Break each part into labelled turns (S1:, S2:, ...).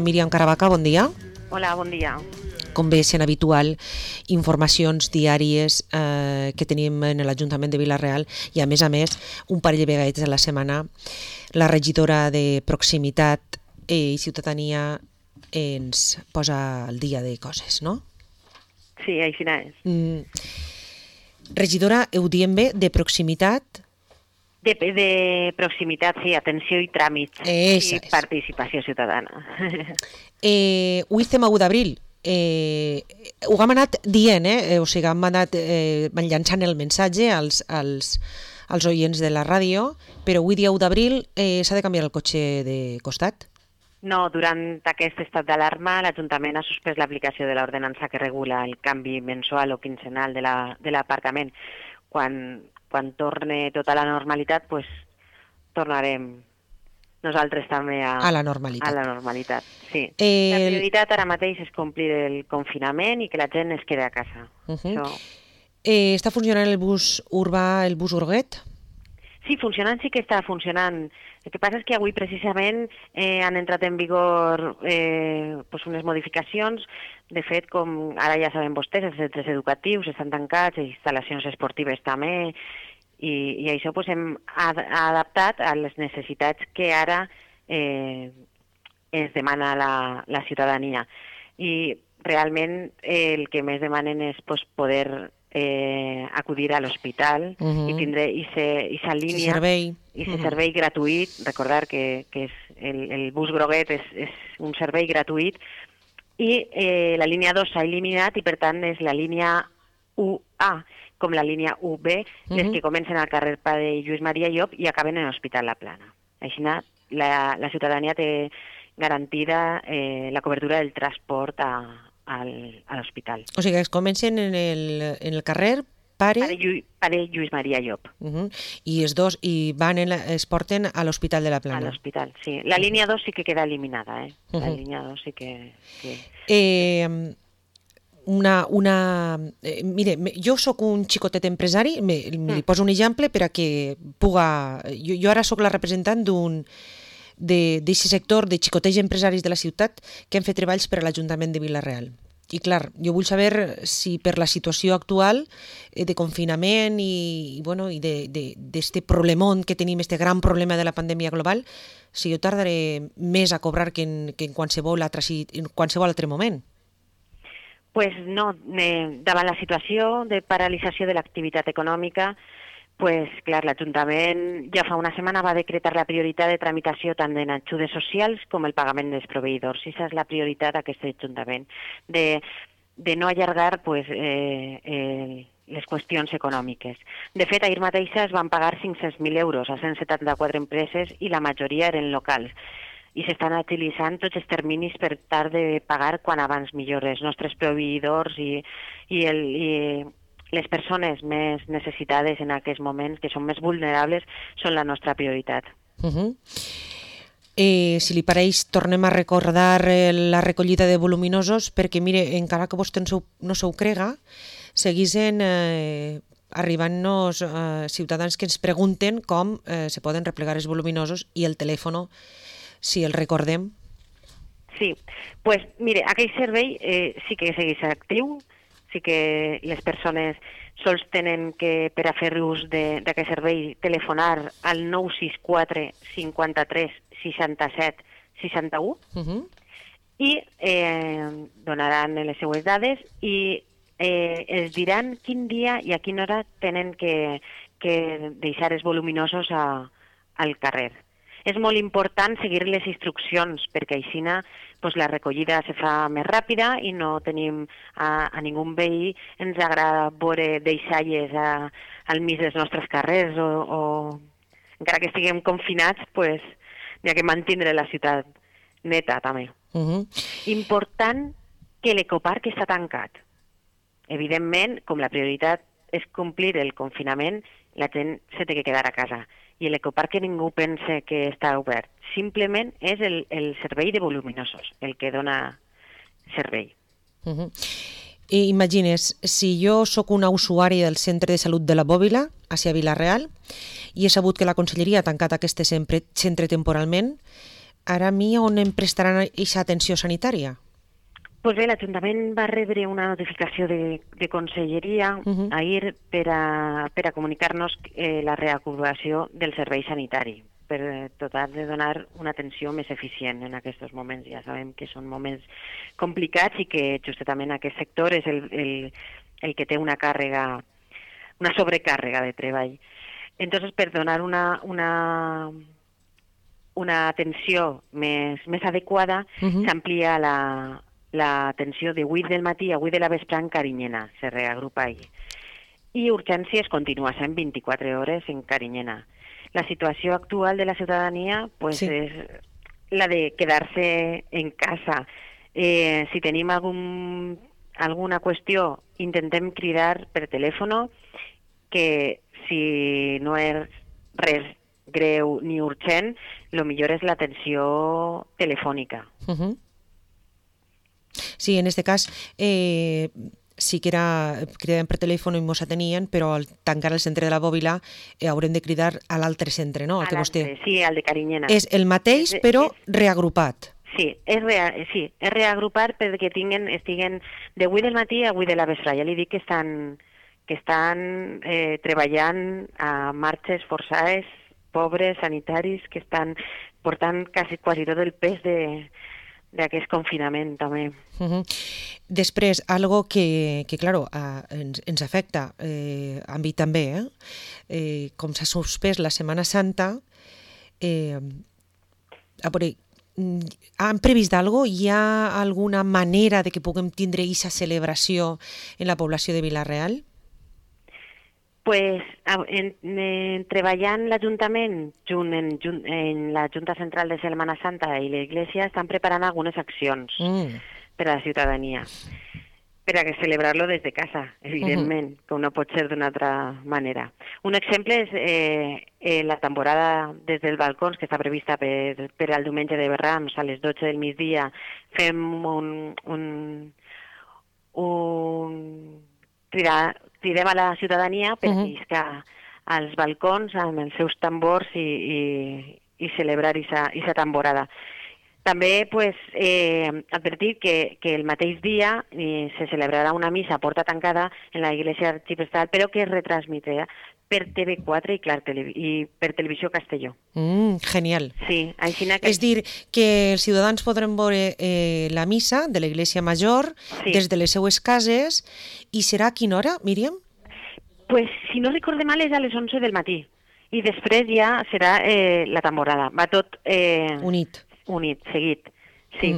S1: Míriam Caravaca, bon dia.
S2: Hola, bon dia.
S1: Com bé sent habitual, informacions diàries que tenim en l'Ajuntament de Vila-real i, a més, un parell de vegades a la setmana, la regidora de Proximitat i Ciutadania ens posa al dia de coses, no?
S2: Sí, així és.
S1: Regidora, ho diem bé, de Proximitat?
S2: De proximitat, sí, atenció i tràmits i participació ciutadana.
S1: Avui estem a 1 d'abril. Ho hem anat dient, o sigui, hem anat llançant el missatge als oients de la ràdio, però avui dia 1 d'abril s'ha de canviar el cotxe de costat?
S2: No, durant aquest estat d'alarma l'Ajuntament ha suspès l'aplicació de l'ordenança que regula el canvi mensual o quinzenal de l'aparcament. Quan torni tota la normalitat, pues, tornarem nosaltres també a
S1: la normalitat.
S2: A la normalitat, sí. La prioritat ara mateix és complir el confinament i que la gent es quedi a casa.
S1: Està funcionant el bus urbà, el bus Urguet?
S2: Sí, funcionant sí que està funcionant. El que passa és que avui precisament han entrat en vigor unes modificacions. De fet, com ara ja saben vostès, els centres educatius estan tancats, les instal·lacions esportives també, i això hem adaptat a les necessitats que ara es demana la ciutadania. I realment el que més demanen és poder acudir a l'hospital i tindre aquesta línia, aquest servei gratuït. Recordar que el bus groguet és un servei gratuït i la línia 2 s'ha eliminat i per tant és la línia 1A com la línia 1B, les que comencen al carrer Pare Lluís Maria Llop i acaben en l'Hospital La Plana. Així la ciutadania té garantida la cobertura del transport a l'hospital.
S1: O sigui, es comencen en el carrer Pare
S2: Lluís Maria Llop.
S1: I els dos es porten a l'Hospital de La Plana.
S2: A l'hospital, sí. La línia 2 sí que queda eliminada, La línia 2 sí que...
S1: Mire, jo sóc un xicotet empresari, li poso un exemple per a que puga... Jo ara sóc la representant d'aquest sector de xicotets empresaris de la ciutat que han fet treballs per a l'Ajuntament de Vila-real. I clar, jo vull saber si per la situació actual de confinament i d'este problemón que tenim, este gran problema de la pandèmia global, si jo tardaré més a cobrar que en qualsevol altre moment.
S2: Pues no, davant la situació de paralització de l'activitat econòmica, pues, clar, l'Ajuntament ja fa una setmana va decretar la prioritat de tramitació tant en ajudes socials com el pagament dels proveïdors. I aquesta és la prioritat d'aquest Ajuntament, de no allargar les qüestions econòmiques. De fet, ahir mateix es van pagar 500.000 euros a 174 empreses i la majoria eren locals. I s'estan utilitzant tots els terminis per tal de pagar quan abans millor els nostres proveïdors i les persones més necessitades en aquests moments, que són més vulnerables, són la nostra prioritat.
S1: Si li pareix, tornem a recordar la recollida de voluminosos, perquè, mire, encara que vostè no s'ho crega, segueixen arribant-nos ciutadans que ens pregunten com se poden replegar els voluminosos i el telèfon, si el recordem.
S2: Sí, pues mire, aquell servei sí que segueix actiu, sí que les persones sols tenen que, per a fer ús d'aquest servei, telefonar al 964 53 67 61 i donaran les seues dades i els diran quin dia i a quina hora tenen que deixar els voluminosos al carrer. És molt important seguir les instruccions perquè així la recollida se fa més ràpida i no tenim a ningú veí. Ens agrada veure deixalles al mig dels nostres carrers o encara que estiguem confinats, hi ha que mantenir la ciutat neta també. Important que l'ecoparc està tancat. Evidentment, com la prioritat és complir el confinament, la gent se té que quedar a casa. I l'ecoparc que ningú pense que està obert. Simplement és el servei de voluminosos, el que dona servei.
S1: Imagines, si jo sóc una usuària del Centre de Salut de la Bòbila, a Vila-real, i he sabut que la Conselleria ha tancat aquest centre temporalment, ara a mi on em prestaran aquesta atenció sanitària?
S2: Pues bé, l'Ajuntament va rebre una notificació de Conselleria ahir per a comunicar-nos la reacomodació del servei sanitari, per dotar de donar una atenció més eficient en aquests moments. Ja sabem que són moments complicats i que justament aquest sector és el que té una sobrecàrrega de treball. Entonces, per donar una atenció més adequada, s'amplia l'atenció de 8 del matí a 8 de la vespre en Carinyena, se reagrupa ahí. I urgències continua sent 24 hores en Carinyena. La situació actual de la ciutadania pues, és la de quedar-se en casa. Si tenim alguna qüestió, intentem cridar per telèfon, que si no és res greu ni urgent, el millor és l'atenció telefònica.
S1: Sí, en este cas sí que cridàvem per telèfon i mos atenien, però al tancar el centre de la Bòbila haurem de cridar a l'altre centre, no?
S2: Sí, al de Carinyena.
S1: És el mateix, però reagrupat.
S2: Sí, és reagrupar perquè estiguen de 8 del matí a 8 de la vespre. Ja li dic que estan treballant a marxes forçades, pobres, sanitaris, que estan portant quasi tot el pes d'aquest confinament també.
S1: Després, algo que claro, ens afecta, a mi també, com s'ha suspès la Setmana Santa, han previst alguna cosa? Hi ha alguna manera de que puguem tindre aquesta celebració en la població de Vila-real?
S2: Pues treballant l'Ajuntament en la Junta Central de Setmana Santa i l'Església estan preparant algunes accions per a la ciutadania, per a celebrar-lo des de casa, evidentment, com no pot ser d'una altra manera. Un exemple és la temporada des dels balcons, que està prevista per al diumenge de Rams a les 12 del migdia. Fem cridem a la ciutadania per lliscar als balcons amb els seus tambors i celebrar aquesta temporada. També advertir que el mateix dia se celebrarà una missa a porta tancada en la Iglesia Arxiprestal, però que es retransmetrà per TV4 i per Televisió Castelló.
S1: Genial.
S2: Sí,
S1: és dir, que els ciutadans podran veure la missa de l'Església Major des de les seues cases, i serà a quina hora, Míriam?
S2: Pues, si no recorde mal, és a les 11 del matí. I després ja serà la temporada. Va tot unit, seguit. Sí.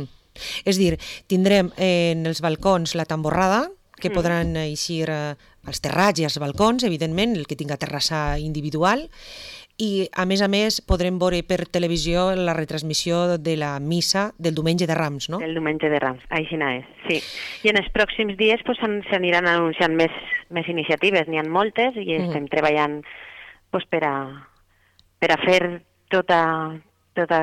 S1: És dir, tindrem en els balcons la tamborrada, que podran eixir als terrats i als balcons, evidentment, el que tinga terrassa individual, i a més podrem veure per televisió la retransmissió de la missa del diumenge de Rams, no?
S2: Del diumenge de Rams, així és, sí. I en els pròxims dies s'aniran anunciant més iniciatives, n'hi ha moltes, i estem treballant per a fer tota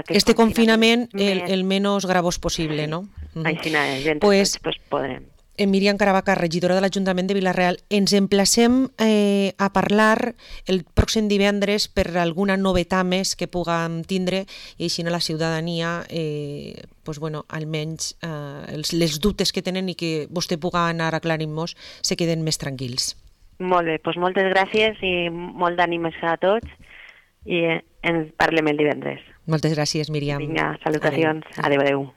S1: este confinament el menys gravós possible, no?
S2: Així és, doncs podrem.
S1: Míriam Caravaca, regidora de l'Ajuntament de Vila-real, ens emplacem a parlar el pròxim divendres per alguna novetat més que puguem tindre, i així la ciutadania, almenys les dubtes que tenen i que vostè pugui anar aclarint-nos se queden més tranquils.
S2: Molt bé, doncs moltes gràcies i molt d'ànimes a tots, i ens parlem el divendres.
S1: Moltes gràcies, Míriam.
S2: Vinga, salutacions. Adéu.